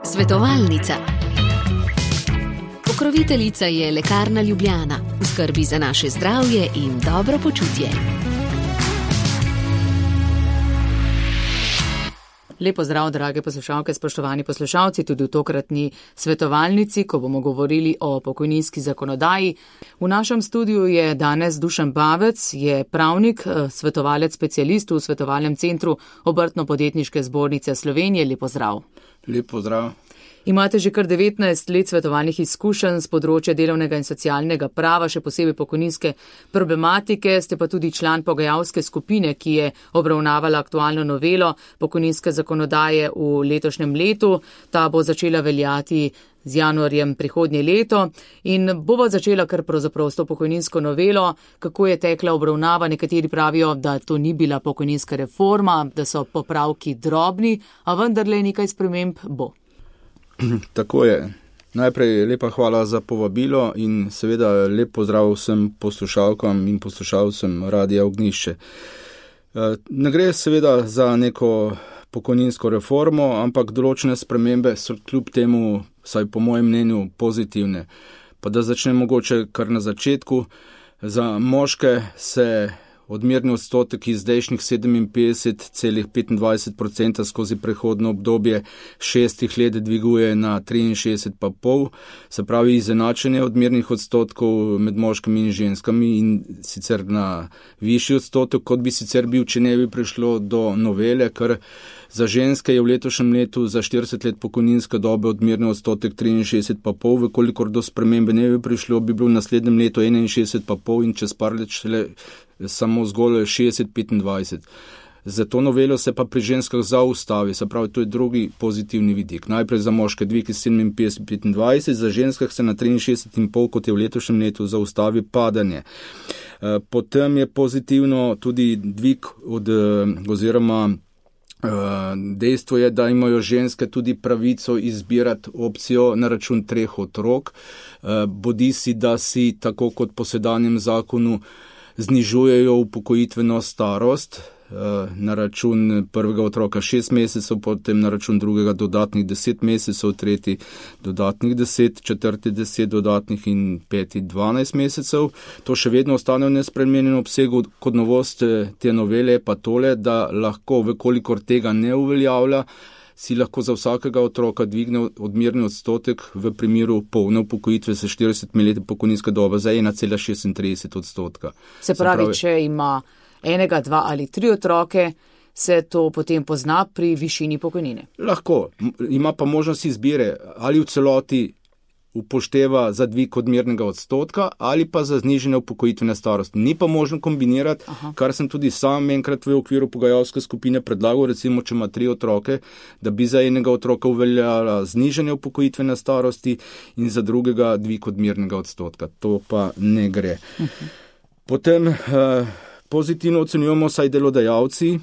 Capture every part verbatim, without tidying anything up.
Svetovalnica. Pokroviteljica je Lekarna Ljubljana, v skrbi za naše zdravje in dobro počutje. Lepo zdrav, drage poslušalke, spoštovani poslušalci, tudi v tokratni svetovalnici, ko bomo govorili o pokojninski zakonodaji. V našem studiu je danes Dušan Bavec, je pravnik, svetovalec specialist v svetovalnem centru Obrtno-podjetniške zbornice Slovenije. Lepo zdrav. Lepo zdrav. Imate že kar devetnajst let svetovalnih izkušenj z področja delovnega in socialnega prava, še posebej pokojninske problematike, ste pa tudi član pogajalske skupine, ki je obravnavala aktualno novelo pokojninske zakonodaje v letošnjem letu. Ta bo začela veljati z januarjem prihodnje leto in bova začela kar pravzaprav s to pokojninsko novelo. Kako je tekla obravnava? Nekateri pravijo, da to ni bila pokojninska reforma, da so popravki drobni, a vendarle nekaj sprememb bo. Tako je. Najprej lepa hvala za povabilo in seveda lep pozdrav vsem poslušalkam in poslušalcem Radia Ognjišče. Ne gre seveda za neko pokojninsko reformo, ampak določene spremembe so kljub temu, saj po mojem mnenju, pozitivne. Pa da začnem mogoče kar na začetku. Za moške se odmerni odstotek iz zdajšnjih sedeminpetdeset celih petindvajset procenta skozi prehodno obdobje šestih let dviguje na triinšestdeset pa pol, se pravi izenačenje odmernih odstotkov med moškimi in ženskami in sicer na višji odstotek, kot bi sicer bil, če ne bi prišlo do novele, ker za ženske je v letošnjem letu za štirideset let pokojninske dobe odmerni odstotek triinšestdeset pa pol, vekolikor do spremembe ne bi prišlo, bi bil v naslednjem letu enainšestdeset pa pol in čez par let šele samo zgolj šestdeset petindvajset. Za to novelo se pa pri ženskah zaustavi, se pravi, to je drugi pozitivni vidik. Najprej za moške dvig iz sedeminpetdeset petindvajset, za ženskah se na triinšestdeset in pol, kot je v letošnjem letu, zaustavi padanje. Potem je pozitivno tudi dvig od, oziroma dejstvo je, da imajo ženske tudi pravico izbirati opcijo na račun treh otrok, bodisi da si tako kot po sedanjem zakonu znižujejo upokojitveno starost na račun prvega otroka šest mesecev, potem na račun drugega dodatnih deset mesecev, tretji dodatnih deset, četrti deset dodatnih in peti dvanajst mesecev. To še vedno ostane v nespremenjenem obsegu. Kot novost te novele je pa tole, da lahko, vekolikor tega ne uveljavlja, si lahko za vsakega otroka dvigne odmerni odstotek v primeru polne upokojitve s štiridesetimi leti pokojninske dobe za ena cela šestintrideset odstotka. Se pravi, če ima enega, dva ali tri otroke, se to potem pozna pri višini pokojnine? Lahko. Ima pa možnost izbire, ali v celoti upošteva za dvig odmernega odstotka ali pa za znižanje upokojitvene starosti. Ni pa možno kombinirati, Aha. kar sem tudi sam enkrat v okviru pogajalske skupine predlagal, recimo, če ima tri otroke, da bi za enega otroka uveljala znižanje upokojitvene starosti in za drugega dvig odmernega odstotka. To pa ne gre. Uh-huh. Potem eh, pozitivno ocenjujemo saj delodajalci,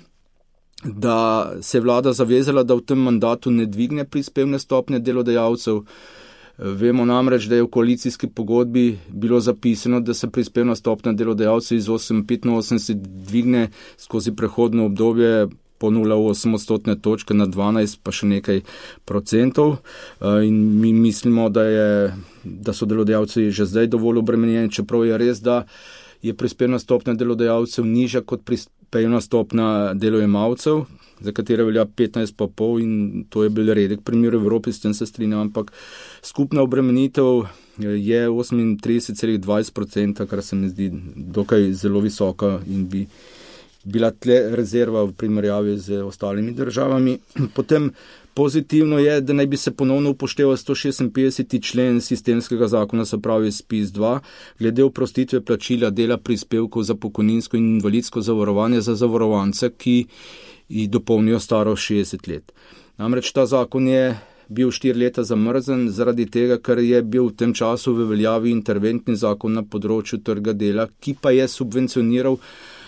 da se vlada zavezala, da v tem mandatu ne dvigne prispevne stopnje delodajalcev. Vemo namreč, da je v koalicijski pogodbi bilo zapisano, da se prispevna stopnja delodajalcev iz osem celih petinosemdeset dvigne skozi prehodno obdobje po nula celih osem odstotne točke na dvanajst pa še nekaj procentov. In mi mislimo, da, je, da so delodajalci že zdaj dovolj obremenjeni, čeprav je res, da je prispevna stopnja delodajalcev nižja kot prispevna stopnja delojemalcev, za katere velja petnajst pa pol in to je bil redek primer v Evropi, s tem se strinjam, ampak skupna obremenitev je osemintrideset celih dvajset procenta, kar se mi zdi dokaj zelo visoka in bi bila tle rezerva v primerjavi z ostalimi državami. Potem pozitivno je, da naj bi se ponovno upošteval sto šestinpetdeseti člen sistemskega zakona, se pravi S P I Z dva, glede oprostitve plačila dela prispevkov za pokojninsko in invalidsko zavarovanje za zavarovance, ki dopolnijo starost šestdeset let. Namreč ta zakon je bil štiri leta zamrzen zaradi tega, ker je bil v tem času v veljavi interventni zakon na področju trga dela, ki pa je subvencioniral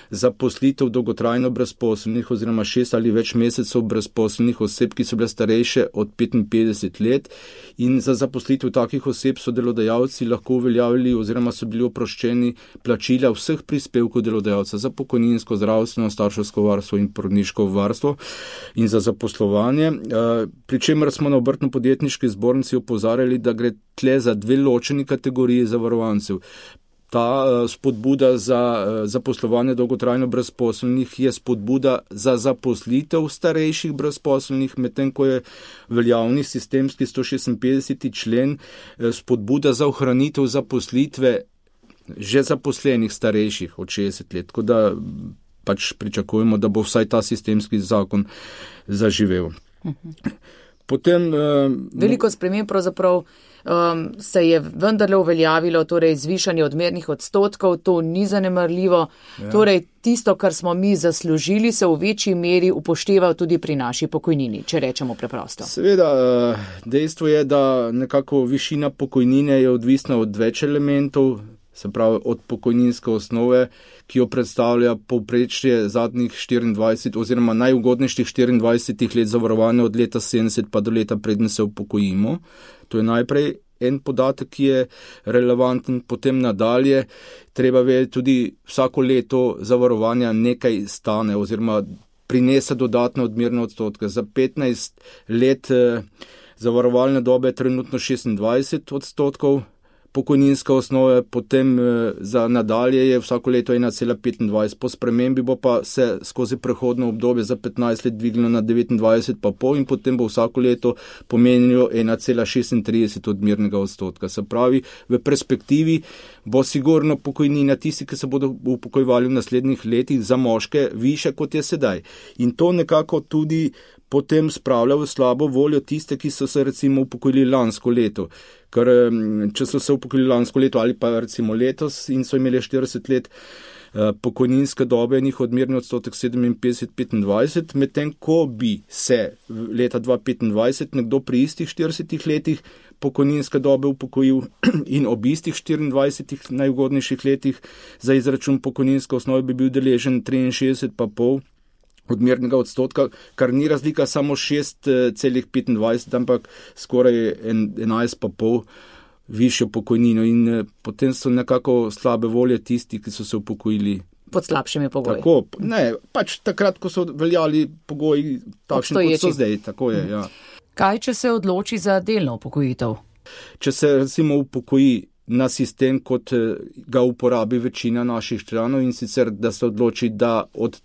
zaposlitev dolgotrajno brezposelnih oziroma šest ali več mesecev brezposelnih oseb, ki so bile starejše od petinpetdeset let, in za zaposlitev takih oseb so delodajalci lahko uveljavili oziroma so bili oproščeni plačila vseh prispevkov delodajalca za pokojninsko, zdravstveno, starševsko varstvo in porodniško varstvo in za zaposlovanje. Pri čemer smo na Obrtno-podjetniški zbornici opozarjali, da gre tle za dve ločeni kategoriji zavarovancev. Ta spodbuda za zaposlovanje dolgotrajno brezposelnih je spodbuda za zaposlitev starejših brezposelnih, medtem ko je veljavni sistemski sto šestinpetdeseti člen spodbuda za ohranitev zaposlitve že zaposlenih starejših od šestdeset let. Tako da pač pričakujemo, da bo vsaj ta sistemski zakon zaživel. Potem, Veliko sprememb pravzaprav um, se je vendarle uveljavilo, torej zvišanje odmernih odstotkov, to ni zanemarljivo. Ja. Torej, tisto, kar smo mi zaslužili, se v večji meri upošteva tudi pri naši pokojnini, če rečemo preprosto. Seveda, dejstvo je, da nekako višina pokojnine je odvisna od več elementov, se pravi od pokojninske osnove, ki jo predstavlja povprečje zadnjih štiriindvajset oziroma najugodnejših štiriindvajset let zavarovanja od leta sedemdeset pa do leta preden se upokojimo. To je najprej en podatek, ki je relevanten, potem nadalje treba vedeti tudi vsako leto zavarovanja nekaj stane oziroma prinese dodatne odmerne odstotke. Za petnajst let eh, zavarovalne dobe trenutno šestindvajset odstotkov, pokojninska osnova, potem za nadalje je vsako leto ena cela petindvajset, po spremembi bo pa se skozi prehodno obdobje za petnajst let dvignilo na devetindvajset pa pol in potem bo vsako leto pomenilo ena cela šestintrideset odmernega odstotka. Se pravi, v perspektivi bo sigurno pokojnina tisti, ki se bodo upokojevali v naslednjih letih za moške više kot je sedaj. In to nekako tudi potem spravlja v slabo voljo tiste, ki so se recimo upokojili lansko leto. Ker če so se upokojili lansko leto ali pa recimo letos in so imeli štirideset let pokojninske dobe, njih odmerni odstotek sedeminpetdeset petindvajset, medtem ko bi se leta dva tisoč petindvajset nekdo pri istih štiridesetih letih pokojninske dobe upokojil in ob istih štiriindvajsetih najugodnejših letih za izračun pokojninske osnove bi bil deležen triinšestdeset pa pol odmernega odstotka, kar ni razlika samo šest celih petindvajset, ampak skoraj enajst pa pol višjo pokojnino in potem so nekako slabe volje tisti, ki so se upokojili pod slabšimi pogoji. Tako, ne, pač takrat, ko so veljali pogoji takšni, kot so zdaj, tako je, ja. Kaj, če se odloči za delno upokojitev? Če se recimo upokoji na sistem, kot ga uporabi večina naših članov in sicer, da se odloči, da od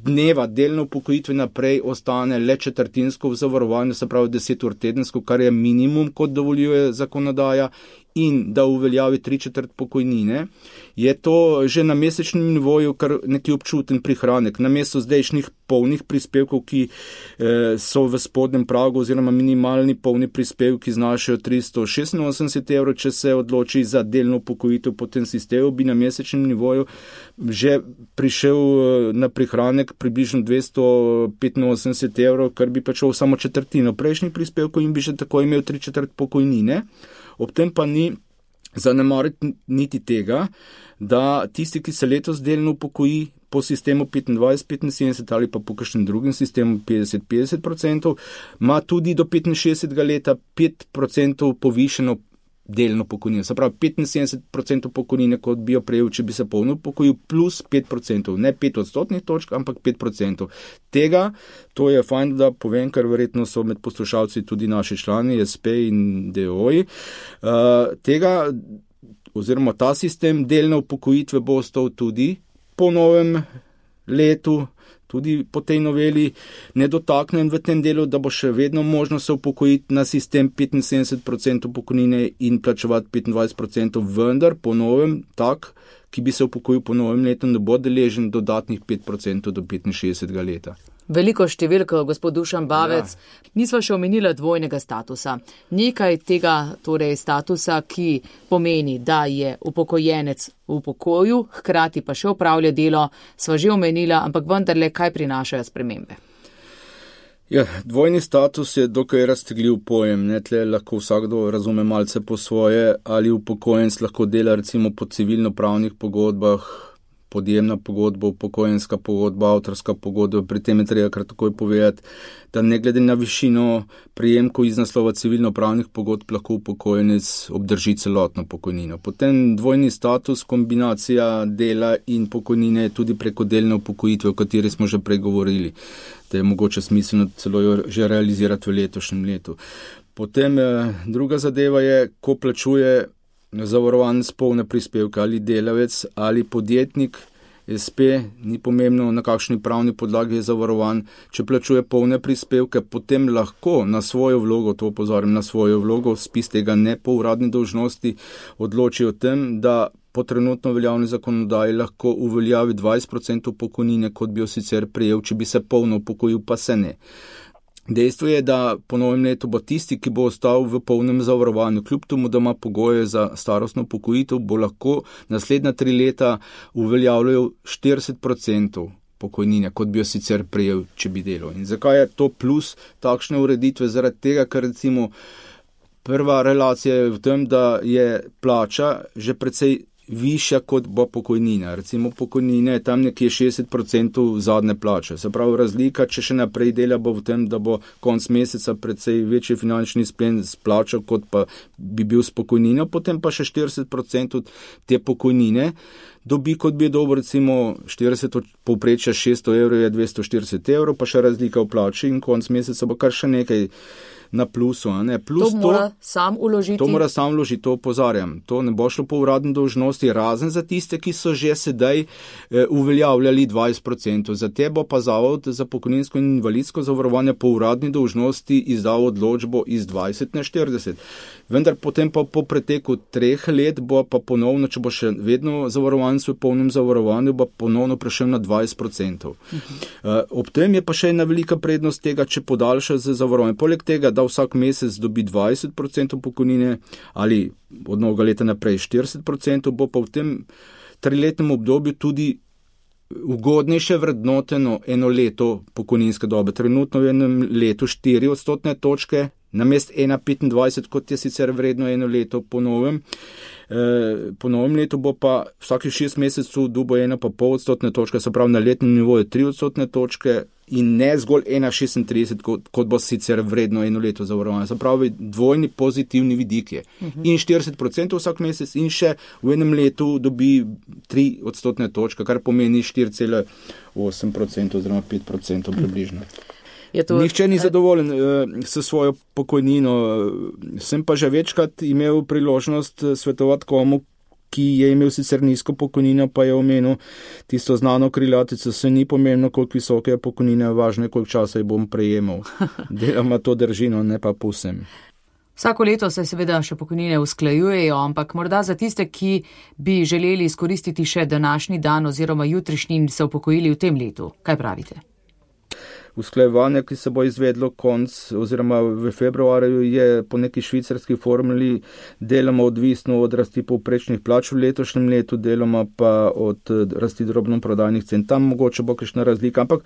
dneva delno upokojitve naprej ostane le četrtinsko v zavarovanju, se pravi deset ur tedensko, kar je minimum, kot dovoljuje zakonodaja, in da uveljavi tri četrt pokojnine, je to že na mesečnem nivoju kar neki občuten prihranek. Namesto zdajšnjih polnih prispevkov, ki eh, so v spodnjem pragu oziroma minimalni polni prispevki znašajo tristo šestinosemdeset evrov, če se odloči za delno upokojitev po tem sistemu, bi na mesečnem nivoju že prišel eh, na prihranek približno dvesto petinosemdeset evrov, kar bi pač samo četrtino prejšnjih prispevkov in bi že tako imel tri četrt pokojnine. Ob tem pa ni zanemariti niti tega, da tisti, ki se letos delno upokoji po sistemu petindvajset petinsedemdeset ali pa po kakšnem drugem sistemu petdeset petdeset procentov, ima tudi do petinšestdesetega leta pet procentov povišeno delno pokojnino. Se pravi, petinsedemdeset procentov pokojnine, kot bi jo prejel, če bi se polno upokojil, plus pet procentov. Ne pet odstotnih točk, ampak pet procentov. Tega, to je fajn, da povem, ker verjetno so med poslušalci tudi naši člani, es pe in de o ji. Uh, tega, oziroma ta sistem delne upokojitve bo ostal tudi po novem letu, tudi po tej noveli nedotaknen v tem delu, da bo še vedno možno se upokojiti na sistem petinsedemdeset procentov pokojnine in plačevati petindvajset procentov, vendar po novem tak, ki bi se upokojil po novem letu, ne bo deležen dodatnih pet procentov do petinšestdesetega leta. Veliko številko, gospod Dušan Bavec. Ja. Nisva še omenila dvojnega statusa. Nekaj tega torej statusa, ki pomeni, da je upokojenec v pokoju, hkrati pa še opravlja delo, sva že omenila, ampak vendarle, kaj prinašajo spremembe? Ja, dvojni status je dokaj raztegljiv pojem. Ne, tle lahko vsakdo razume malce po svoje, ali upokojenec lahko dela recimo po civilno-pravnih pogodbah, podjemna pogodba, upokojenska pogodba, avtorska pogodba. Pri tem je treba kar takoj povedati, da ne glede na višino prejemkov iz naslova civilno-pravnih pogodb lahko upokojenec obdrži celotno pokojnino. Potem dvojni status, kombinacija dela in pokojnine je tudi preko delne upokojitve, o kateri smo že prej govorili, da je mogoče smiselno celo jo že realizirati v letošnjem letu. Potem eh, druga zadeva je, ko plačuje zavarovanec polne prispevke, ali delavec ali podjetnik, es pe, ni pomembno na kakšni pravni podlagi je zavarovan, če plačuje polne prispevke, potem lahko na svojo vlogo, to opozorim, na svojo vlogo, spis tega ne po uradni dolžnosti, odloči o tem, da po trenutno veljavni zakonodaji lahko uveljavi dvajset procentov pokojnine, kot bi jo sicer prejel, če bi se polno upokojil, pa se ne. Dejstvo je, da po novem letu bo tisti, ki bo ostal v polnem zavarovanju, kljub tomu, da ima pogoje za starostno upokojitev, bo lahko naslednja tri leta uveljavljal štirideset procentov pokojnine, kot bi jo sicer prejel, če bi delal. In zakaj je to plus takšne ureditve? Zaradi tega, ker recimo prva relacija je v tem, da je plača že precej višja kot bo pokojnina. Recimo pokojnine je tam nekje šestdeset procentov zadnje plače. Se pravi, razlika, če še naprej dela, bo v tem, da bo konc meseca precej večji finančni izplen s plačo, kot pa bi bil s pokojnino, potem pa še štirideset procentov te pokojnine dobi, kot bi je dobil, recimo štirideset povprečja šeststo evrov je dvesto štirideset evrov, pa še razlika v plači in konc meseca bo kar še nekaj na plusu. Ne? Plus to mora to, sam uložiti. To mora sam uložiti, to opozarjam. To ne bo šlo po uradni dolžnosti, razen za tiste, ki so že sedaj e, uveljavljali dvajset procentov. Za te bo pa Zavod za pokojninsko in invalidsko zavarovanje po uradni dolžnosti izdal odločbo iz dvajset na štirideset. Vendar potem pa po preteku treh let bo pa ponovno, če bo še vedno zavarovanec v polnem zavarovanju, bo ponovno prešel na dvajset procentov. Uh-huh. E, ob tem je pa še ena velika prednost tega, če podaljša z zavarovanjem. Poleg tega, da vsak mesec dobi dvajset procentov pokojnine ali od novega leta naprej štirideset procentov, bo pa v tem triletnem obdobju tudi ugodnejše vrednoteno eno leto pokojninske dobe. Trenutno v enem letu štiri odstotne točke, namest ena petindvajset, kot je sicer vredno eno leto po novem. E, po novem letu bo pa vsakih šest mesecev dobo ena pa pol odstotne točke, se pravi na letnem nivoju tri odstotne točke in ne zgolj ena šestintrideset, kot, kot bo sicer vredno eno leto zavarovanja. Se pravi, dvojni pozitivni vidik je. Uh-huh. In štirideset procentov vsak mesec in še v enem letu dobi tri odstotne točke, kar pomeni štiri cela osem procentov oziroma pet procentov približno. To, Nihče ni zadovoljen uh, s svojo pokojnino. Sem pa že večkrat imel priložnost svetovati komu, ki je imel sicer nizko pokojnino, pa je omenil tisto znano krilatico, se ni pomembno, koliko visoke je pokojnina, važno je, koliko časa jo bom prejemal. Deloma to držino, ne pa povsem. Vsako leto se seveda še pokojnine usklajujejo, ampak morda za tiste, ki bi želeli izkoristiti še današnji dan oziroma jutrišnji in se upokojili v tem letu. Kaj pravite? Usklajevanje, ki se bo izvedlo konc oziroma v februarju, je po neki švicarski formuli deloma odvisno od rasti povprečnih plač v letošnjem letu, deloma pa od rasti drobnoprodajnih cen. Tam mogoče bo kakšna razlika, ampak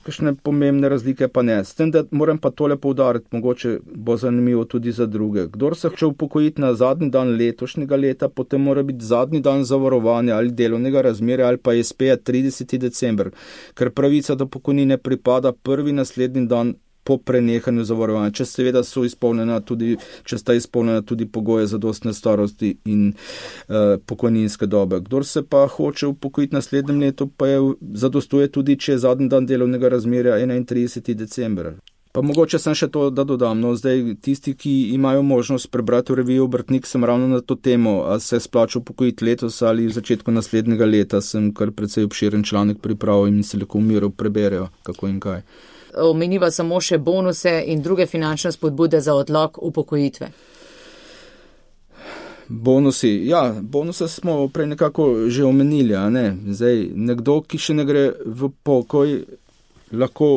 kakšne pomembne razlike pa ne. S tem, da moram pa tole poudariti, mogoče bo zanimivo tudi za druge. Kdor se hoče upokojiti na zadnji dan letošnjega leta, potem mora biti zadnji dan zavarovanja ali delovnega razmerja ali pa es pe-ja trideseti december, ker pravica do pokojnine pripada prvi naslednji dan po prenehanju zavarovanja, če seveda so izpolnjena tudi, če sta izpolnjena tudi pogoje zadostne starosti in uh, pokojninske dobe. Kdor se pa hoče upokojiti naslednjem letu, pa je zadostuje tudi, če je zadnji dan delovnega razmerja enaintrideseti december. Pa mogoče sem še to, da dodam, no zdaj tisti, ki imajo možnost prebrati v reviji Obrtnik, sem ravno na to temo, a se splača upokojiti letos ali v začetku naslednjega leta, sem kar precej obširen članek pripravil in se lahko v miru preberejo, kako in kaj. Omeniva samo še bonuse in druge finančne spodbude za odlog upokojitve. Bonusi, ja, bonuse smo prej nekako že omenili, a ne? Zdaj, nekdo, ki še ne gre v pokoj, lahko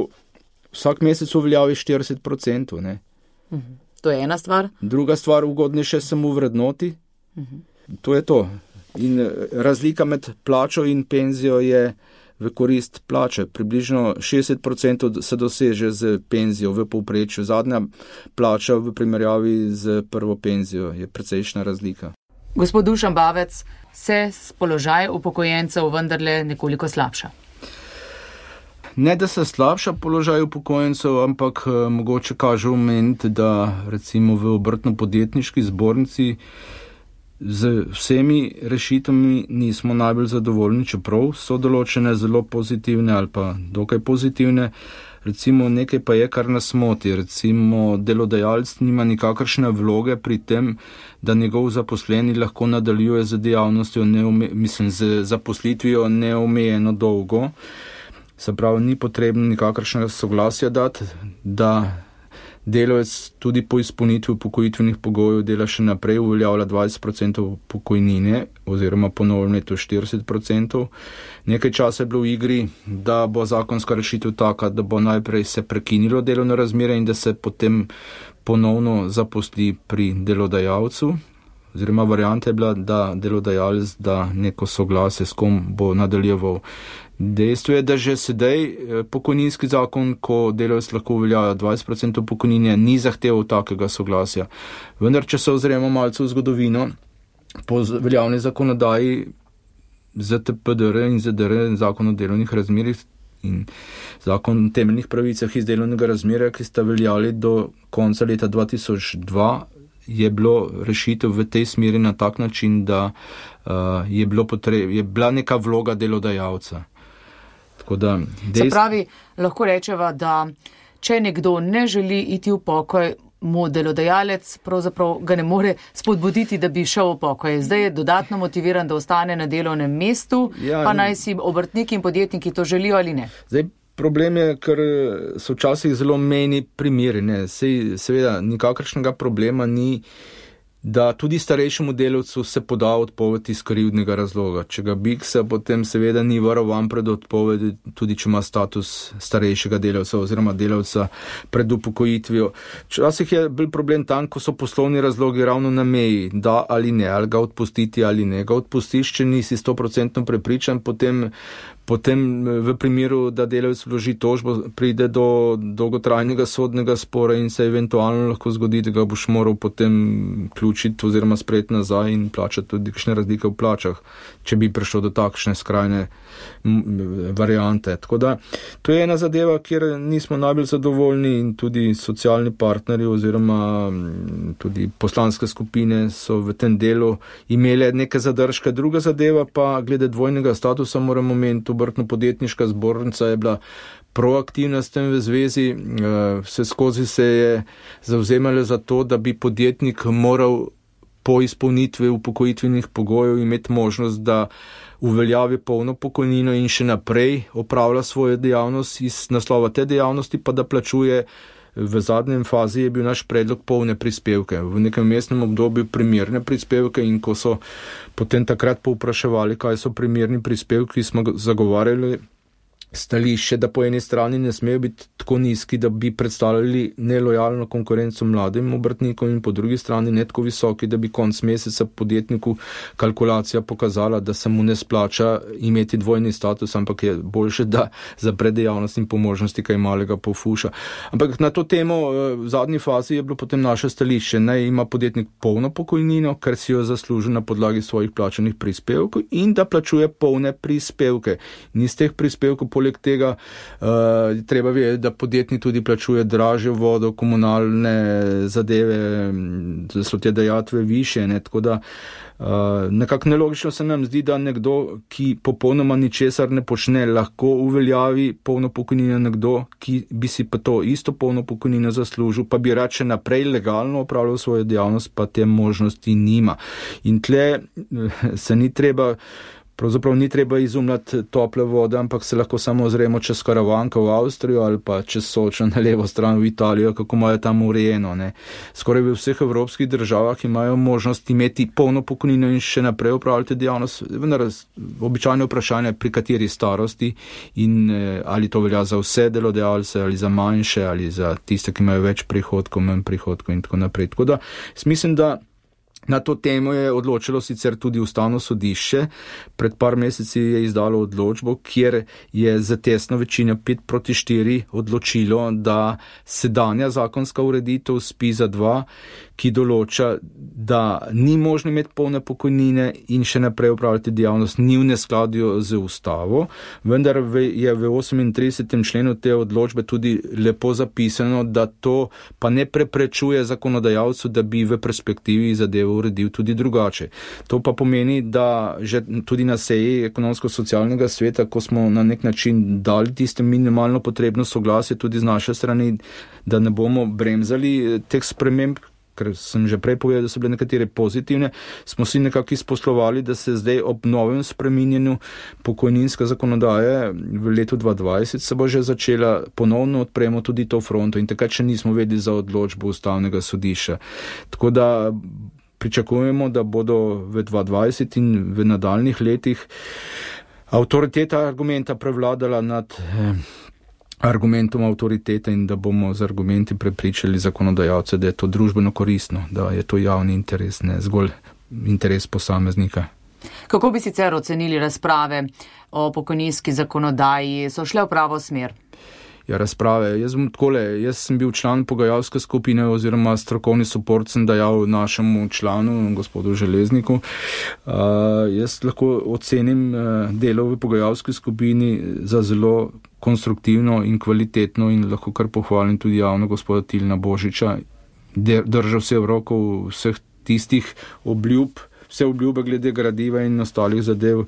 vsak mesec uveljavi štirideset procentov, ne? Uh-huh. To je ena stvar. Druga stvar, ugodnejše se mu vrednoti. Uh-huh. To je to. In razlika med plačo in penzijo je v korist plače. Približno šestdeset procentov se doseže z penzijo v povprečju. Zadnja plača v primerjavi z prvo penzijo je precejšnja razlika. Gospod Dušan Bavec, se položaj upokojencev vendarle nekoliko slabša? Ne, da se slabša položaj upokojencev, ampak eh, mogoče kaže omeniti, da recimo v obrtno-podjetniški zbornici z vsemi rešitvami nismo najbolj zadovoljni, čeprav so določene zelo pozitivne ali pa dokaj pozitivne. Recimo nekaj pa je, kar nas moti. Recimo delodajalec nima nikakršne vloge pri tem, da njegov zaposleni lahko nadaljuje z dejavnostjo, neume, mislim, z zaposlitvijo neomejeno dolgo. Se pravi, ni potrebno nikakršnega soglasja dati, da delavec tudi po izpolnitvi upokojitvenih pogojev dela še naprej, uveljavlja dvajset procentov pokojnine oziroma po novem letu štirideset procentov. Nekaj časa je bilo v igri, da bo zakonska rešitev taka, da bo najprej se prekinilo delovno razmerje in da se potem ponovno zaposli pri delodajalcu. Oziroma varianta je bila, da delodajalec da neko soglasje, s kom bo nadaljeval. Dejstvo je, da že sedaj pokojninski zakon, ko delavec lahko uveljavlja dvajset procentov pokojnine, ni zahteval takega soglasja. Vendar, če se ozremo malce v zgodovino, po veljavni zakonodaji Z T P D R in Z D R, zakon o delovnih razmerjih in zakon o temeljnih pravicah iz delovnega razmerja, ki sta veljali do konca leta dva tisoč dva, je bilo rešitev v tej smeri na tak način, da uh, je, bilo potreb, je bila neka vloga delodajalca. Tako da, dejst... Se pravi, lahko rečeva, da če nekdo ne želi iti v pokoj, mu delodajalec pravzaprav ga ne more spodbuditi, da bi šel v pokoj. Zdaj je dodatno motiviran, da ostane na delovnem mestu, ja, pa naj si obrtniki in podjetniki to želijo ali ne. Zdaj, problem je, ker so včasih zelo mejni primeri. Ne. Sej, seveda, nikakršnega problema ni, da tudi starejšemu delavcu se poda odpoved iz krivdnega razloga. Če ga biksa, potem seveda ni varovan pred odpovedi, tudi če ima status starejšega delavca oziroma delavca pred upokojitvijo. Včasih je bil problem tam, ko so poslovni razlogi ravno na meji, da ali ne, ali ga odpustiti ali ne. Ga odpustiš, če nisi sto procentno prepričan, potem Potem v primeru, da delavec vloži tožbo, pride do dolgotrajnega sodnega spora in se eventualno lahko zgodi, da ga boš moral potem ključiti oziroma sprejeti nazaj in plačati tudi kakšne razlike v plačah, če bi prišlo do takšne skrajne variante. Tako da, to je ena zadeva, kjer nismo najbolj zadovoljni in tudi socialni partnerji oziroma tudi poslanske skupine so v tem delu imele neke zadržke. Druga zadeva pa, glede dvojnega statusa, moramo omeniti, obrtno-podjetniška zbornica je bila proaktivna s tem v zvezi, vse skozi se je zavzemala za to, da bi podjetnik moral po izpolnitvi upokojitvenih pogojev imeti možnost, da uveljavi polno pokojnino in še naprej opravlja svojo dejavnost iz naslova te dejavnosti, pa da plačuje. V zadnjem fazi je bil naš predlog polne prispevke, v nekem mestnem obdobju primerne prispevke in ko so potem takrat povpraševali, kaj so primerni prispevki, smo zagovarjali stališče, da po eni strani ne smejo biti tako nizki, da bi predstavljali nelojalno konkurenco mladim obrtnikom in po drugi strani ne tako visoki, da bi konc meseca podjetniku kalkulacija pokazala, da se mu ne splača imeti dvojni status, ampak je boljše, da zapre dejavnost in po možnosti kaj malega pofuša. Ampak na to temo v zadnji fazi je bilo potem naše stališče, naj ima podjetnik polno pokojnino, ker si jo zasluži na podlagi svojih plačanih prispevkov in da plačuje polne prispevke. In iz teh prispevkov poleg tega uh, treba vedeti, da podjetnik tudi plačuje dražjo vodo, komunalne zadeve, da so te dajatve više, ne, tako da uh, nekako nelogično se nam zdi, da nekdo, ki popolnoma ničesar ne počne, lahko uveljavi polno pokojnino, nekdo, ki bi si pa to isto polno pokojnino zaslužil, pa bi rače naprej legalno opravljal svojo dejavnost, pa te možnosti nima. In tle se ni treba Pravzaprav ni treba izumljati tople vode, ampak se lahko samo ozremo čez Karavanko v Avstrijo ali pa čez Sočo na levo stran v Italijo, kako imajo tam urejeno. Ne. Skoraj v vseh evropskih državah imajo možnost imeti polno pokojnino in še naprej upravljati dejavnost. Vendar običajno vprašanje, pri kateri starosti in ali to velja za vse delodajalce ali za manjše ali za tiste, ki imajo več prihodkov, manj prihodkov in tako naprej. Tako da mislim, da na to temo je odločilo sicer tudi Ustavno sodišče. Pred par meseci je izdalo odločbo, kjer je za tesno večino pet proti štiri odločilo, da sedanja zakonska ureditev S P I Z A dva, ki določa, da ni možno imeti polne pokojnine in še naprej upravljati dejavnost, ni v neskladju z ustavo, vendar je v osemintridesetem členu te odločbe tudi lepo zapisano, da to pa ne preprečuje zakonodajalcu, da bi v perspektivi zadevo uredil tudi drugače. To pa pomeni, da že tudi na seji ekonomsko-socialnega sveta, ko smo na nek način dali tiste minimalno potrebno soglasje tudi z naše strani, da ne bomo bremzali teh sprememb, ker sem že prej povedal, da so bile nekatere pozitivne, smo si nekako izposlovali, da se zdaj ob novem spreminjanju pokojninske zakonodaje v letu dva tisoč dvajset se bo že začela ponovno odpremo tudi to fronto in takrat še nismo vedeli za odločbo Ustavnega sodišča. Tako da pričakujemo, da bodo v dva tisoč dvajset in v nadaljnih letih avtoriteta argumenta prevladala nad eh, argumentom avtoritete in da bomo z argumenti prepričali zakonodajalce, da je to družbeno koristno, da je to javni interes, ne zgolj interes posameznika. Kako bi sicer ocenili razprave o pokojninski zakonodaji? So šle v pravo smer? Ja, razprave. Jaz, takole, jaz sem bil član pogajalske skupine oziroma strokovni suport sem dajal našemu članu, gospodu Železniku. Uh, jaz lahko ocenim uh, delo v pogajalski skupini za zelo konstruktivno in kvalitetno in lahko kar pohvalim tudi javno gospoda Tilna Božiča. Držal se v roko vseh tistih obljub, vse obljube glede gradiva in ostalih zadev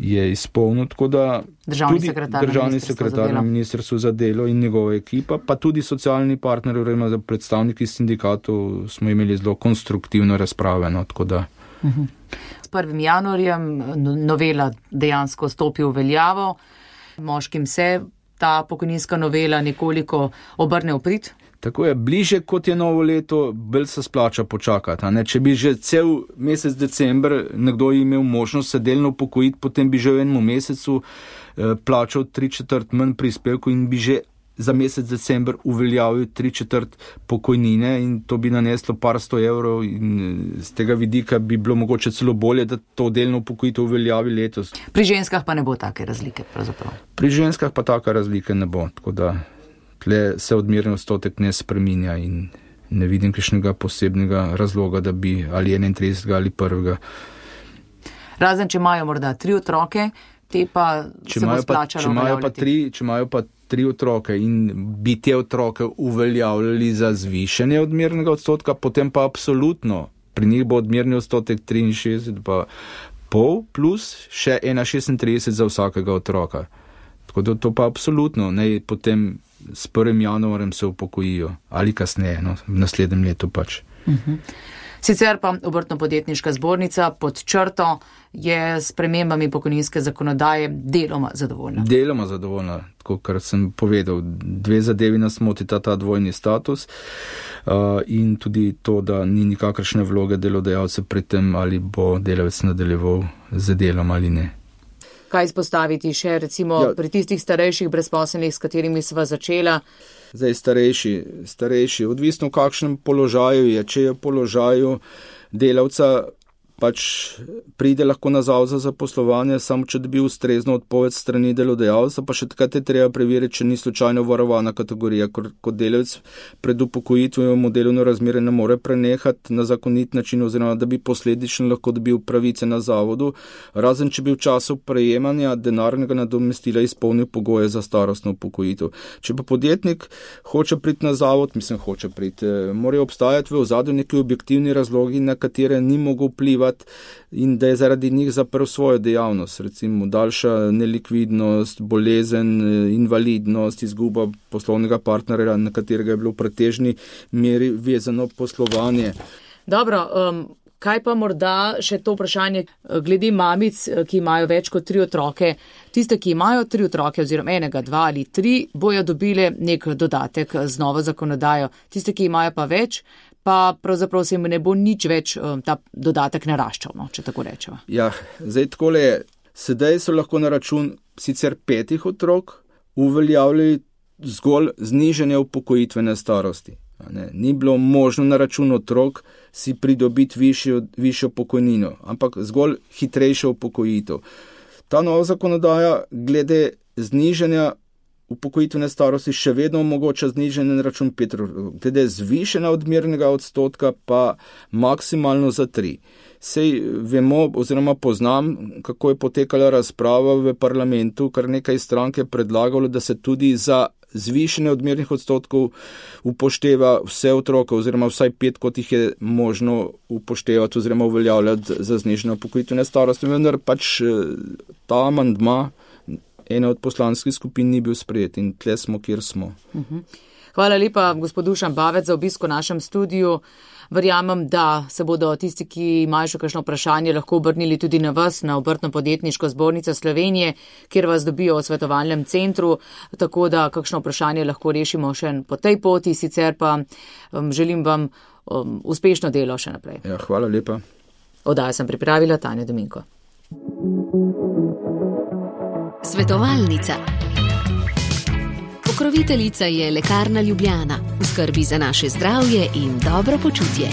je izpolnil, tako da državni tudi sekretar državni sekretar na Ministrstvu za delo in njegova ekipa, pa tudi socialni partneri, oziroma predstavniki sindikatov smo imeli zelo konstruktivno razprave, no, tako da. Uh-huh. S prvim januarjem novela dejansko stopi v veljavo, moškim se ta pokojninska novela nekoliko obrne v prid. Tako je, bliže kot je novo leto, bolj se splača počakati. Ne? Če bi že cel mesec december nekdo imel možnost se delno upokojiti, potem bi že v enem mesecu eh, plačal tri četrt manj prispevku in bi že za mesec december uveljavil tri četrt pokojnine in to bi naneslo par sto evrov in z tega vidika bi bilo mogoče celo bolje, da to delno upokojitev uveljavi letos. Pri ženskah pa ne bo take razlike pravzaprav. Pri ženskah pa taka razlike ne bo, tako da tle se odmerni odstotek ne spreminja in ne vidim kakšnega posebnega razloga, da bi ali enaintridesetega ali prvega. Razen, če imajo morda tri otroke, te pa če se bo splačalo uveljavljati. Če imajo pa tri otroke in bi te otroke uveljavljali za zvišanje odmernega odstotka, potem pa absolutno pri njih bo odmerni odstotek triinšestdeset pa pol plus še ena šestintrideset za vsakega otroka. Tako da to pa absolutno, ne potem s prvim januarjem se upokojijo ali kasneje, no, v naslednjem letu pač. Uh-huh. Sicer pa Obrtno-podjetniška zbornica pod črto je s spremembami pokojninske zakonodaje deloma zadovoljna. Deloma zadovoljna, tako kar sem povedal, dve zadevi nas motita ta dvojni status uh, in tudi to, da ni nikakršne vloge delodajalca pri tem, ali bo delavec nadaljeval z delom ali ne. Kaj izpostaviti še recimo ja. pri tistih starejših brezposelnih, s katerimi sva začela? Zdaj starejši, starejši, odvisno v kakšnem položaju je, če je v položaju delavca, pač pride lahko na zavod za zaposlovanje, samo če dobi ustrezno odpoved strani delodajalca, pa še takrat je treba preveriti, če ni slučajno varovana kategorija, kot delavec pred upokojitvijo v delovno razmerje ne more prenehati na zakonit način, oziroma da bi posledično lahko dobil pravice na zavodu, razen če bi v času prejemanja denarnega nadomestila izpolnil pogoje za starostno upokojitev. Če pa podjetnik hoče priti na zavod, mislim hoče priti, morajo obstajati v ozadju neki objektivni razlogi, na katere ni mogel vplivati in da je zaradi njih zaprl svojo dejavnost, recimo daljša nelikvidnost, bolezen, invalidnost, izguba poslovnega partnerja, na katerega je bilo v pretežni meri vezano poslovanje. Dobro, um, kaj pa morda še to vprašanje glede mamic, ki imajo več kot tri otroke. Tiste, ki imajo tri otroke oziroma enega, dva ali tri, bojo dobile nek dodatek z novo zakonodajo. Tiste, ki imajo pa več, pa pravzaprav se jim ne bo nič več um, ta dodatek naraščal, no, če tako rečemo. Ja, zdaj takole je. Sedaj so lahko na račun sicer petih otrok uveljavljali zgolj znižanje upokojitvene starosti. Ne, ni bilo možno na račun otrok si pridobiti višjo, višjo pokojnino, ampak zgolj hitrejšo upokojitev. Ta nova zakonodaja glede znižanja upokojitvene starosti še vedno omogoča znižanje na račun pet odstotkov, glede zvišanja odmernega odstotka pa maksimalno za tri. Sej vemo oziroma poznam, kako je potekala razprava v parlamentu, kar nekaj strank je predlagalo, da se tudi za zvišanje odmernih odstotkov upošteva vse otroke oziroma vsaj pet, kot jih je možno upoštevati oziroma uveljavljati za znižanje upokojitvene starosti, vendar pač ta amandma ena od poslanskih skupin ni bil sprejet in tle smo, kjer smo. Hvala lepa, gospod Dušan Bavec, za obisk v našem studiu. Verjamem, da se bodo tisti, ki imajo še kakšno vprašanje, lahko obrnili tudi na vas, na Obrtno-podjetniško zbornico Slovenije, kjer vas dobijo v svetovalnem centru, tako da kakšno vprašanje lahko rešimo še po tej poti, sicer pa um, želim vam um, uspešno delo še naprej. Ja, hvala lepa. Oddajo sem pripravila Tanja Dominko. Svetovalnica. Pokroviteljica je Lekarna Ljubljana, v skrbi za naše zdravje in dobro počutje.